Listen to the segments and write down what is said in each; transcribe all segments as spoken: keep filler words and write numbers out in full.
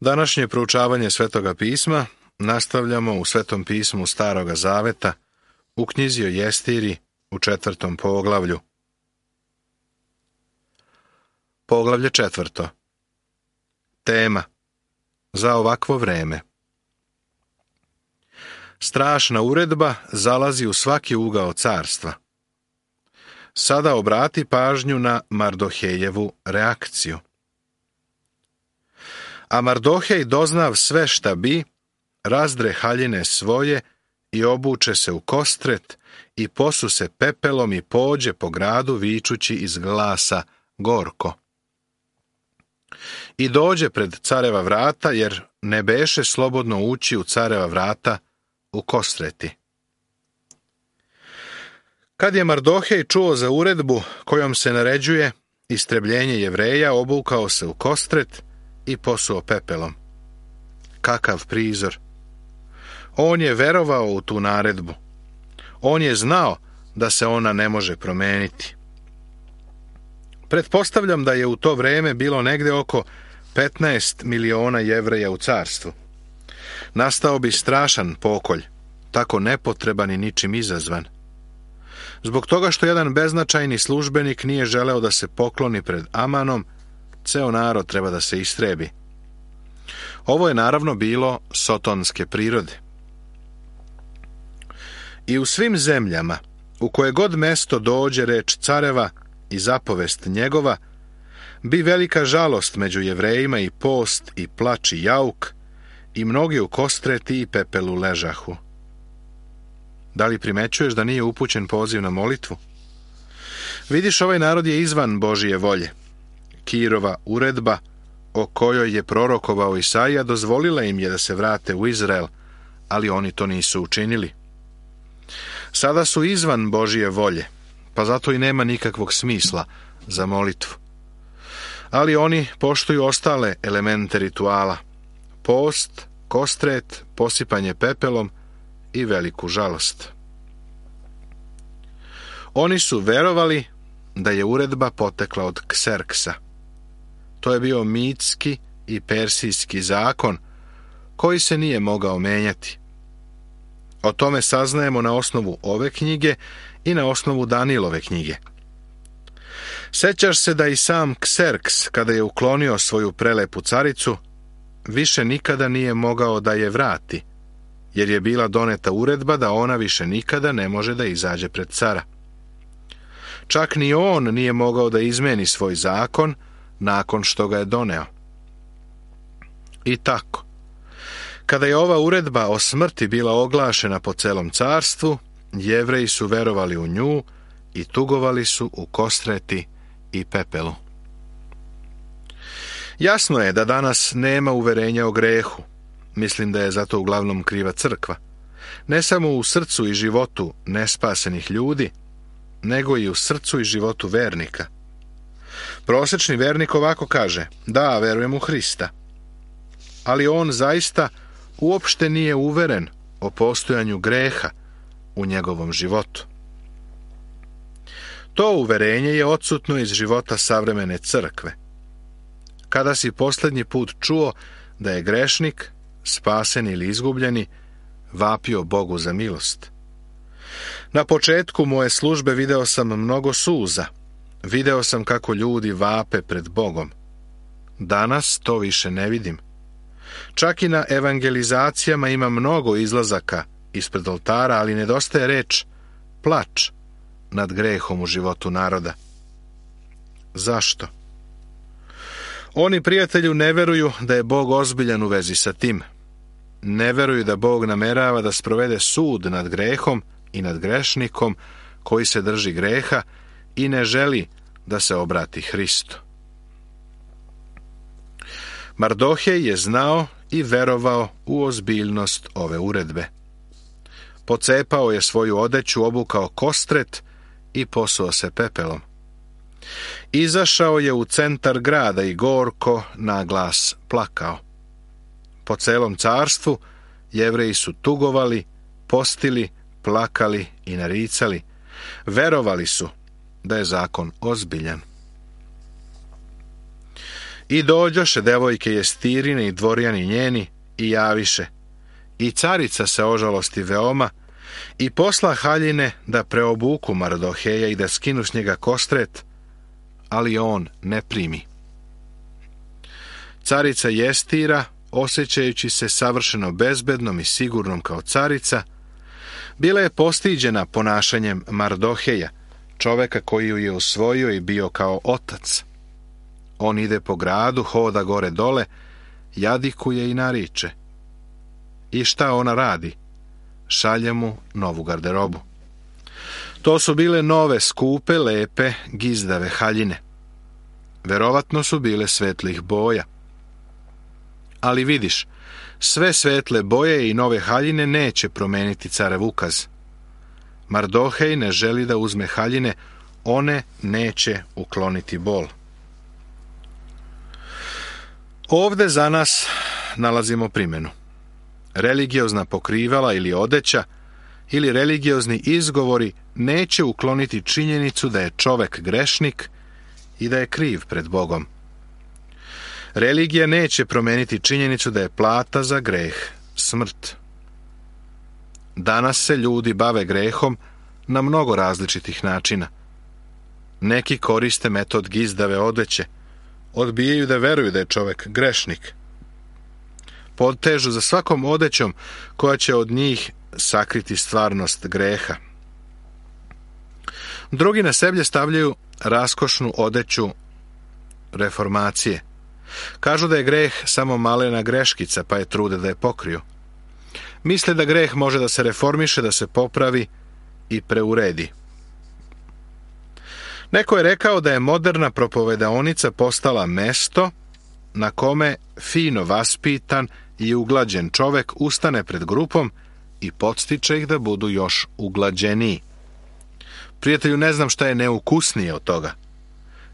Današnje proučavanje Svetoga pisma nastavljamo u Svetom pismu Staroga zaveta, u knjizi o Jestiri, u četvrtom poglavlju. Poglavlje četvrto. Tema: za ovakvo vreme. Strašna uredba zalazi u svaki ugao carstva. Sada obrati pažnju na Mardohejevu reakciju. A Mardohej, doznav sve šta bi, razdre haljine svoje i obuče se u kostret i posu se pepelom i pođe po gradu vičući iz glasa gorko. I dođe pred careva vrata, jer ne beše slobodno ući u careva vrata u kostreti. Kad je Mardohej čuo za uredbu kojom se naređuje istrebljenje Jevreja, obukao se u kostret i posuo pepelom. Kakav prizor! On je verovao u tu naredbu. On je znao da se ona ne može promeniti. Pretpostavljam da je u to vreme bilo negde oko petnaest miliona Jevreja u carstvu. Nastao bi strašan pokolj, tako nepotreban i ničim izazvan. Zbog toga što jedan beznačajni službenik nije želeo da se pokloni pred Amanom, ceo narod treba da se istrebi. Ovo je naravno bilo sotonske prirode. I u svim zemljama, u koje god mesto dođe reč careva i zapovest njegova, bi velika žalost među Jevrejima i post i plač i jauk, i mnogi u kostreti i pepelu ležahu. Da li primećuješ da nije upućen poziv na molitvu? Vidiš, ovaj narod je izvan Božije volje. Kirova uredba, o kojoj je prorokovao Isaija, dozvolila im je da se vrate u Izrael, ali oni to nisu učinili. Sada su izvan Božije volje, pa zato i nema nikakvog smisla za molitvu. Ali oni poštuju ostale elemente rituala: post, kostret, posipanje pepelom i veliku žalost. Oni su verovali da je uredba potekla od Kserksa. To je bio mitski i persijski zakon koji se nije mogao menjati. O tome saznajemo na osnovu ove knjige i na osnovu Danilove knjige. Sećaš se da i sam Kserks, kada je uklonio svoju prelepu caricu, više nikada nije mogao da je vrati, jer je bila doneta uredba da ona više nikada ne može da izađe pred cara. Čak ni on nije mogao da izmeni svoj zakon nakon što ga je doneo. I tako, kada je ova uredba o smrti bila oglašena po celom carstvu, Jevreji su verovali u nju i tugovali su u kostreti i pepelu. Jasno je da danas nema uverenja o grehu. Mislim da je zato uglavnom kriva crkva. Ne samo u srcu i životu nespasenih ljudi, nego i u srcu i životu vernika. Prosečni vernik ovako kaže: da, verujem u Hrista. Ali on zaista uopšte nije uveren o postojanju greha u njegovom životu. To uverenje je odsutno iz života savremene crkve. Kada si posljednji put čuo da je grešnik, spasen ili izgubljeni, vapio Bogu za milost? Na početku moje službe video sam mnogo suza. Video sam kako ljudi vape pred Bogom. Danas to više ne vidim. Čak i na evangelizacijama ima mnogo izlazaka ispred oltara, ali nedostaje reč plač nad grehom u životu naroda. Zašto? Oni, prijatelju, ne veruju da je Bog ozbiljan u vezi sa tim. Ne veruju da Bog namerava da sprovede sud nad grehom i nad grešnikom koji se drži greha i ne želi da se obrati Hristu. Mardohej je znao i verovao u ozbiljnost ove uredbe. Pocepao je svoju odeću, obukao kostret i posuo se pepelom. Izašao je u centar grada i gorko na glas plakao. Po celom carstvu Jevreji su tugovali, postili, plakali i naricali. Verovali su da je zakon ozbiljan. I dođoše devojke Jestirine i dvorjani njeni i javiše. I carica se ožalosti veoma i posla haljine da preobuku Mardoheja i da skinu s njega kostret, ali on ne primi. Carica Jestira, osjećajući se savršeno bezbednom i sigurnom kao carica, bila je postiđena ponašanjem Mardoheja, čoveka koji ju je usvojio i bio kao otac. On ide po gradu, hoda gore dole, jadikuje i nariče. I šta ona radi? Šalje mu novu garderobu. To su bile nove, skupe, lepe, gizdave haljine. Verovatno su bile svetlih boja. Ali vidiš, sve svetle boje i nove haljine neće promeniti carev ukaz. Mardohej ne želi da uzme haljine, one neće ukloniti bol. Ovde za nas nalazimo primjenu. Religiozna pokrivala ili odeća ili religiozni izgovori neće ukloniti činjenicu da je čovek grešnik i da je kriv pred Bogom. Religija neće promeniti činjenicu da je plata za greh smrt. Danas se ljudi bave grehom na mnogo različitih načina. Neki koriste metod gizdave odeće, odbijaju da veruju da je čovek grešnik. Podtežu za svakom odećom koja će od njih sakriti stvarnost greha. Drugi na seblje stavljaju raskošnu odeću reformacije. Kažu da je greh samo malena greškica, pa je trude da je pokriju. Misle da greh može da se reformiše, da se popravi i preuredi. Neko je rekao da je moderna propovedaonica postala mesto na kome fino vaspitan i uglađen čovek ustane pred grupom i podstiče ih da budu još uglađeniji. Prijatelju, ne znam šta je neukusnije od toga.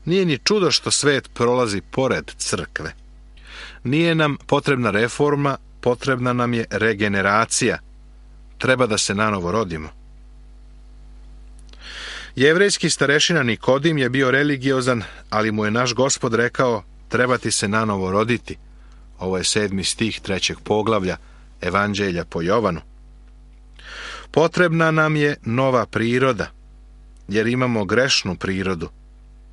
Nije ni čudo što svet prolazi pored crkve. Nije nam potrebna reforma, potrebna nam je regeneracija. Treba da se nanovo rodimo. Jevrejski starešina Nikodim je bio religiozan, ali mu je naš Gospod rekao, treba ti se nanovo roditi. Ovo je sedmi stih trećeg poglavlja Evanđelja po Jovanu. Potrebna nam je nova priroda, jer imamo grešnu prirodu,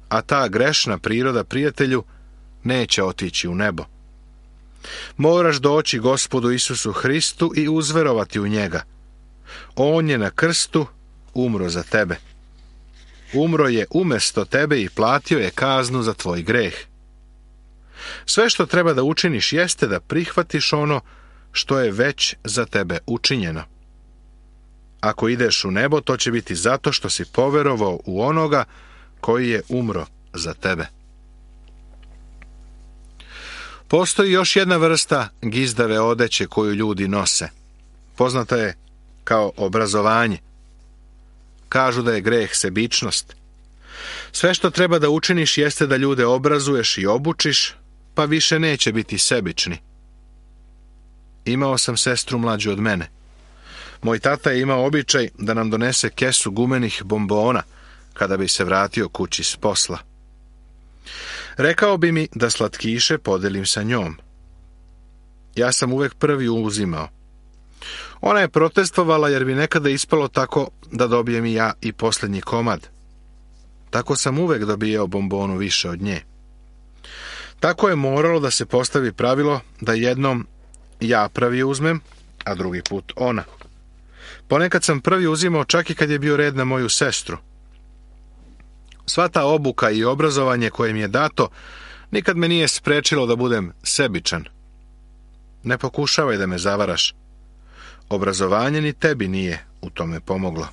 a ta grešna priroda, prijatelju, neće otići u nebo. Moraš doći Gospodu Isusu Hristu i uzverovati u njega. On je na krstu umro za tebe. Umro je umesto tebe i platio je kaznu za tvoj greh. Sve što treba da učiniš jeste da prihvatiš ono što je već za tebe učinjeno. Ako ideš u nebo, to će biti zato što si poverovao u onoga koji je umro za tebe. Postoji još jedna vrsta gizdave odeće koju ljudi nose. Poznata je kao obrazovanje. Kažu da je greh sebičnost. Sve što treba da učiniš jeste da ljude obrazuješ i obučiš, pa više neće biti sebični. Imao sam sestru mlađu od mene. Moj tata je imao običaj da nam donese kesu gumenih bombona kada bi se vratio kući s posla. Rekao bi mi da slatkiše podelim sa njom. Ja sam uvek prvi uzimao. Ona je protestovala jer bi nekada ispalo tako da dobijem i ja i posljednji komad. Tako sam uvek dobijao bombonu više od nje. Tako je moralo da se postavi pravilo da jednom ja prvi uzmem, a drugi put ona. Ponekad sam prvi uzimao čak i kad je bio red na moju sestru. Sva ta obuka i obrazovanje koje mi je dato nikad me nije sprečilo da budem sebičan. Ne pokušavaj da me zavaraš. Obrazovanje ni tebi nije u tome pomoglo.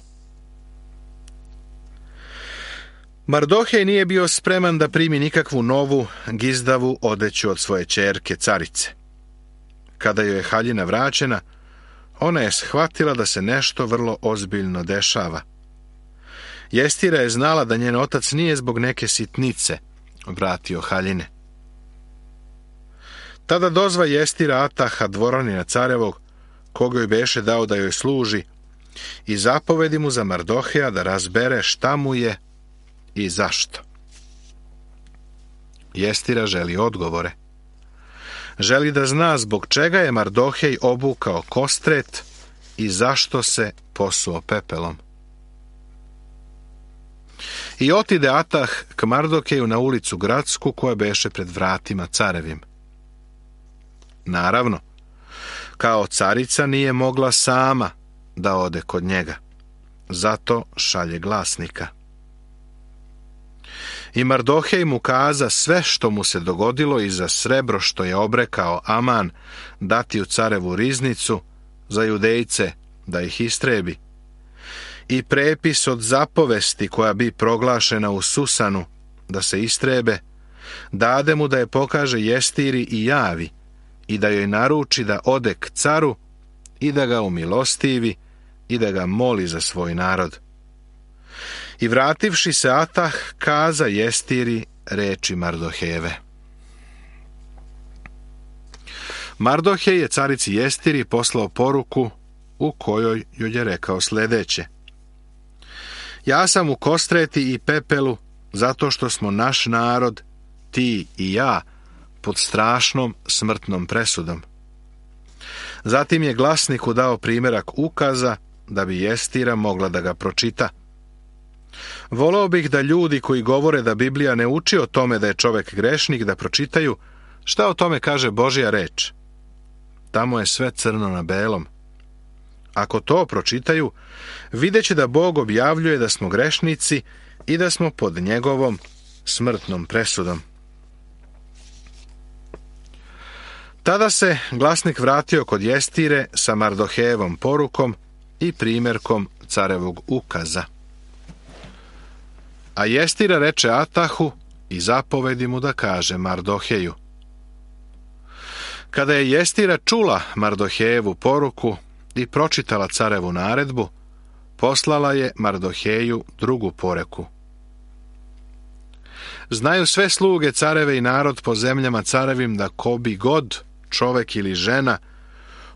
Mardohej nije bio spreman da primi nikakvu novu gizdavu odeću od svoje ćerke carice. Kada joj je haljina vraćena, ona je shvatila da se nešto vrlo ozbiljno dešava. Jestira je znala da njen otac nije zbog neke sitnice vratio haljine. Tada dozva Jestira Ataha, dvoranina carevog, koga joj beše dao da joj služi, i zapovedi mu za Mardoheja da razbere šta mu je i zašto. Jestira želi odgovore. Želi da zna zbog čega je Mardohej obukao kostret i zašto se posuo pepelom. I otide Atah k Mardokeju na ulicu gradsku koja beše pred vratima carevim. Naravno, kao carica nije mogla sama da ode kod njega. Zato šalje glasnika. I Mardohej mu kaza sve što mu se dogodilo i za srebro što je obrekao Aman dati u carevu riznicu za Judejce da ih istrebi. I prepis od zapovesti koja bi proglašena u Susanu da se istrebe, dade mu da je pokaže Jestiri i javi i da joj naruči da ode k caru i da ga umilostivi i da ga moli za svoj narod. I vrativši se Atah kaza Jestiri reči Mardohejeve. Mardohej je carici Jestiri poslao poruku u kojoj joj je rekao sljedeće. Ja sam u kostreti i pepelu zato što smo naš narod, ti i ja, pod strašnom smrtnom presudom. Zatim je glasniku dao primjerak ukaza da bi Jestira mogla da ga pročita. Voleo bih da ljudi koji govore da Biblija ne uči o tome da je čovjek grešnik da pročitaju šta o tome kaže Božja reč. Tamo je sve crno na belom. Ako to pročitaju, vidjet će da Bog objavljuje da smo grešnici i da smo pod njegovom smrtnom presudom. Tada se glasnik vratio kod Jestire sa Mardohejevom porukom i primjerkom carevog ukaza. A Jestira reče Atahu i zapovedi mu da kaže Mardoheju. Kada je Jestira čula Mardohejevu poruku i pročitala carevu naredbu, poslala je Mardoheju drugu poruku. Znaju sve sluge careve i narod po zemljama carevim da ko bi god, čovek ili žena,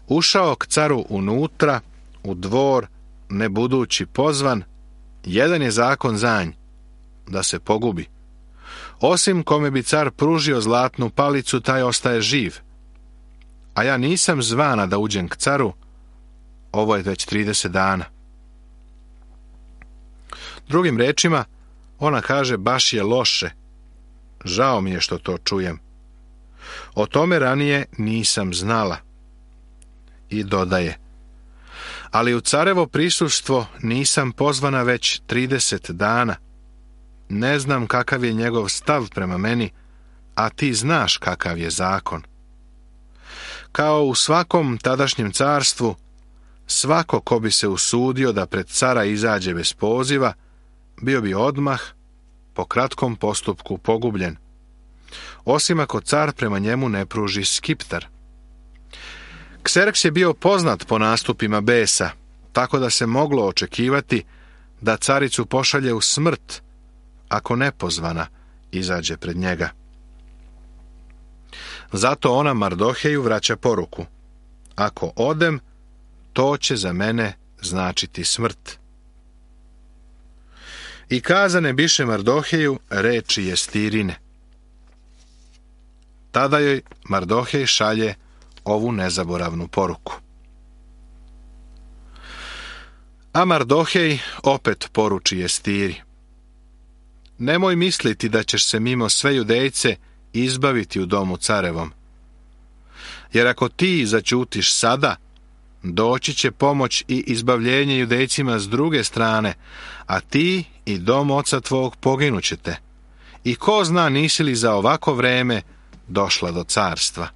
ušao k caru unutra, u dvor, ne budući pozvan, jedan je zakon za nj, da se pogubi. Osim kome bi car pružio zlatnu palicu, taj ostaje živ. A ja nisam zvana da uđem k caru, ovo je već trideset dana. Drugim rečima, ona kaže baš je loše. Žao mi je što to čujem. O tome ranije nisam znala. I dodaje. Ali u carevo prisustvo nisam pozvana već trideset dana. Ne znam kakav je njegov stav prema meni, a ti znaš kakav je zakon. Kao u svakom tadašnjem carstvu, svako ko bi se usudio da pred cara izađe bez poziva, bio bi odmah, po kratkom postupku pogubljen. Osim ako car prema njemu ne pruži skiptar. Kserks je bio poznat po nastupima besa, tako da se moglo očekivati da caricu pošalje u smrt, ako nepozvana izađe pred njega. Zato ona Mardoheju vraća poruku. Ako odem, to će za mene značiti smrt. I kazane biše Mardoheju reči Jestirine. Tada joj Mardohej šalje ovu nezaboravnu poruku. A Mardohej opet poruči Jestiri. Nemoj misliti da ćeš se mimo sve Judejce izbaviti u domu carevom. Jer ako ti zaćutiš sada, doći će pomoć i izbavljenje Judejcima s druge strane, a ti i dom oca tvog poginućete. I ko zna nisi li za ovako vreme došla do carstva.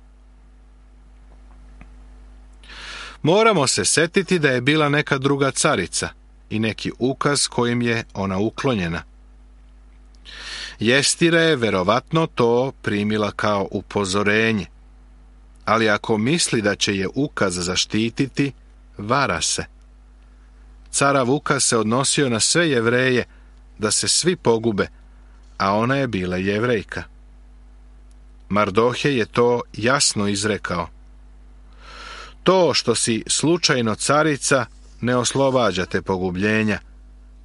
Moramo se setiti da je bila neka druga carica i neki ukaz kojim je ona uklonjena. Jestira je verovatno to primila kao upozorenje, ali ako misli da će je ukaz zaštititi, vara se. Carav ukaz se odnosio na sve Jevreje, da se svi pogube, a ona je bila Jevrejka. Mardohej je to jasno izrekao. To što si slučajno carica ne oslobađa te pogubljenja,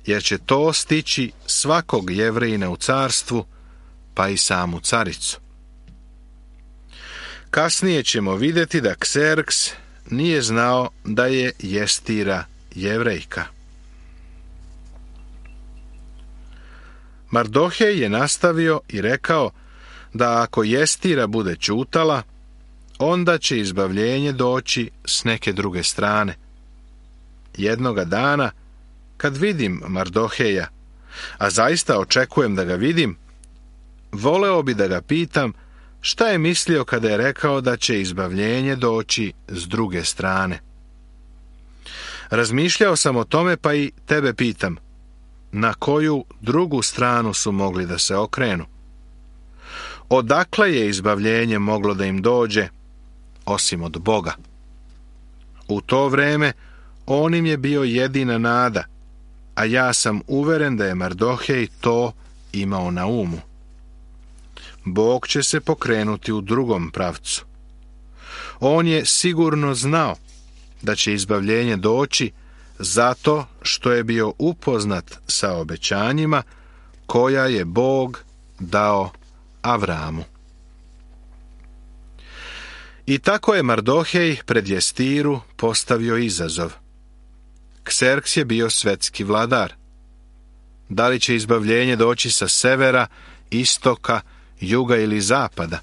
jer će to stići svakog Jevrejina u carstvu, pa i samu caricu. Kasnije ćemo vidjeti da Kserks nije znao da je Jestira Jevrejka. Mardohej je nastavio i rekao da ako Jestira bude ćutala, onda će izbavljenje doći s neke druge strane. Jednoga dana, kad vidim Mardoheja, a zaista očekujem da ga vidim, voleo bi da ga pitam šta je mislio kada je rekao da će izbavljenje doći s druge strane. Razmišljao sam o tome, pa i tebe pitam, na koju drugu stranu su mogli da se okrenu? Odakle je izbavljenje moglo da im dođe, osim od Boga? U to vreme on im je bio jedina nada, a ja sam uveren da je Mardohej to imao na umu. Bog će se pokrenuti u drugom pravcu. On je sigurno znao da će izbavljenje doći zato što je bio upoznat sa obećanjima koja je Bog dao Avramu. I tako je Mardohej pred Jestiru postavio izazov. Kserks je bio svetski vladar. Da li će izbavljenje doći sa severa, istoka, juga ili zapada?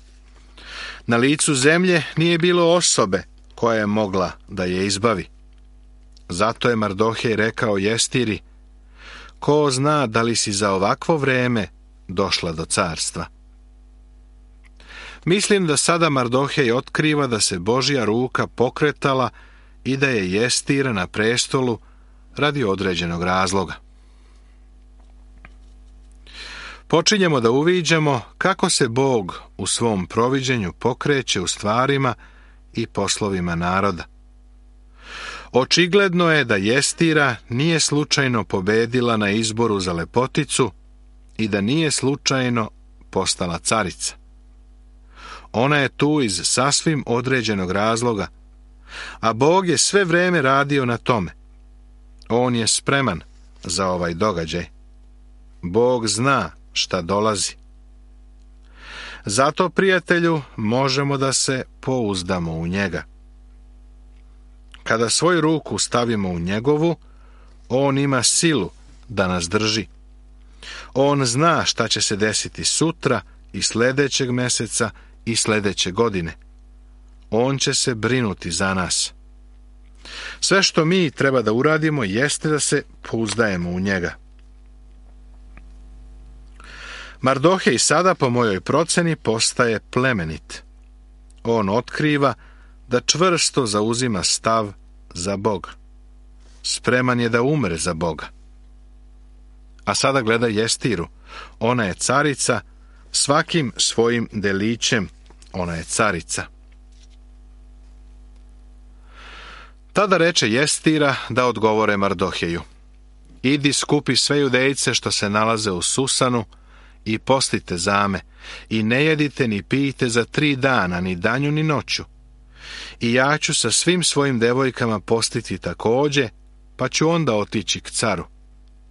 Na licu zemlje nije bilo osobe koja je mogla da je izbavi. Zato je Mardohej rekao Jestiri, ko zna da li si za ovakvo vreme došla do carstva. Mislim da sada Mardohej otkriva da se Božja ruka pokretala i da je Jestira na prestolu radi određenog razloga. Počinjemo da uviđamo kako se Bog u svom proviđenju pokreće u stvarima i poslovima naroda. Očigledno je da Jestira nije slučajno pobedila na izboru za lepoticu i da nije slučajno postala carica. Ona je tu iz sasvim određenog razloga, a Bog je sve vreme radio na tome. On je spreman za ovaj događaj. Bog zna šta dolazi. Zato, prijatelju, možemo da se pouzdamo u njega. Kada svoju ruku stavimo u njegovu, on ima silu da nas drži. On zna šta će se desiti sutra i sljedećeg meseca i sljedeće godine. On će se brinuti za nas. Sve što mi treba da uradimo jeste da se pouzdajemo u njega. Mardohej sada, po mojoj proceni, postaje plemenit. On otkriva da čvrsto zauzima stav za Boga. Spreman je da umre za Boga. A sada gleda Jestiru. Ona je carica, svakim svojim delićem ona je carica. Tada reče Jestira da odgovore Mardoheju. Idi skupi sve Judejce što se nalaze u Susanu i postite za me, i ne jedite ni pijte za tri dana, ni danju ni noću. I ja ću sa svim svojim devojkama postiti takođe, pa ću onda otići k caru.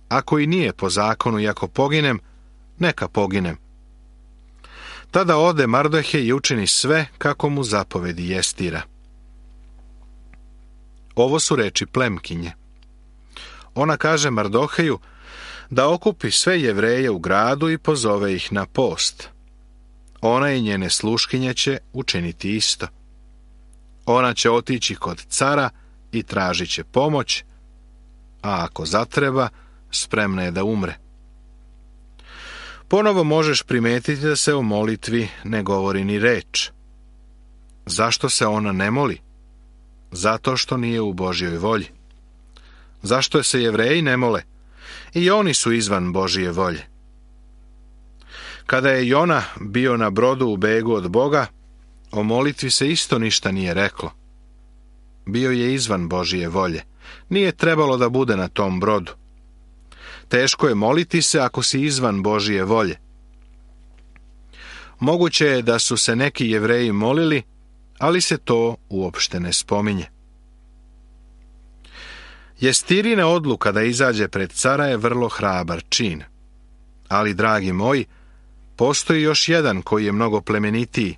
Ako i nije po zakonu i ako poginem, neka poginem. Tada ode Mardohej i učini sve kako mu zapovedi Jestira. Ovo su reči plemkinje. Ona kaže Mardoheju da okupi sve Jevreje u gradu i pozove ih na post. Ona i njene sluškinje će učiniti isto. Ona će otići kod cara i tražit će pomoć, a ako zatreba, spremna je da umre. Ponovo možeš primetiti da se o molitvi ne govori ni reč. Zašto se ona ne moli? Zato što nije u Božjoj volji. Zašto se Jevreji ne mole? I oni su izvan Božje volje. Kada je Jona bio na brodu u begu od Boga, o molitvi se isto ništa nije reklo. Bio je izvan Božje volje. Nije trebalo da bude na tom brodu. Teško je moliti se ako si izvan Božje volje. Moguće je da su se neki Jevreji molili, ali se to uopšte ne spominje. Jestirina odluka da izađe pred cara je vrlo hrabar čin. Ali, dragi moji, postoji još jedan koji je mnogo plemenitiji.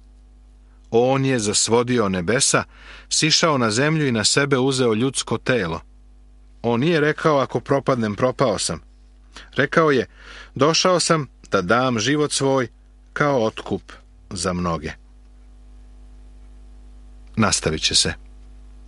On je zasvodio nebesa, sišao na zemlju i na sebe uzeo ljudsko telo. On nije rekao, ako propadnem, propao sam. Rekao je, došao sam da dam život svoj kao otkup za mnoge. Nastavit će se.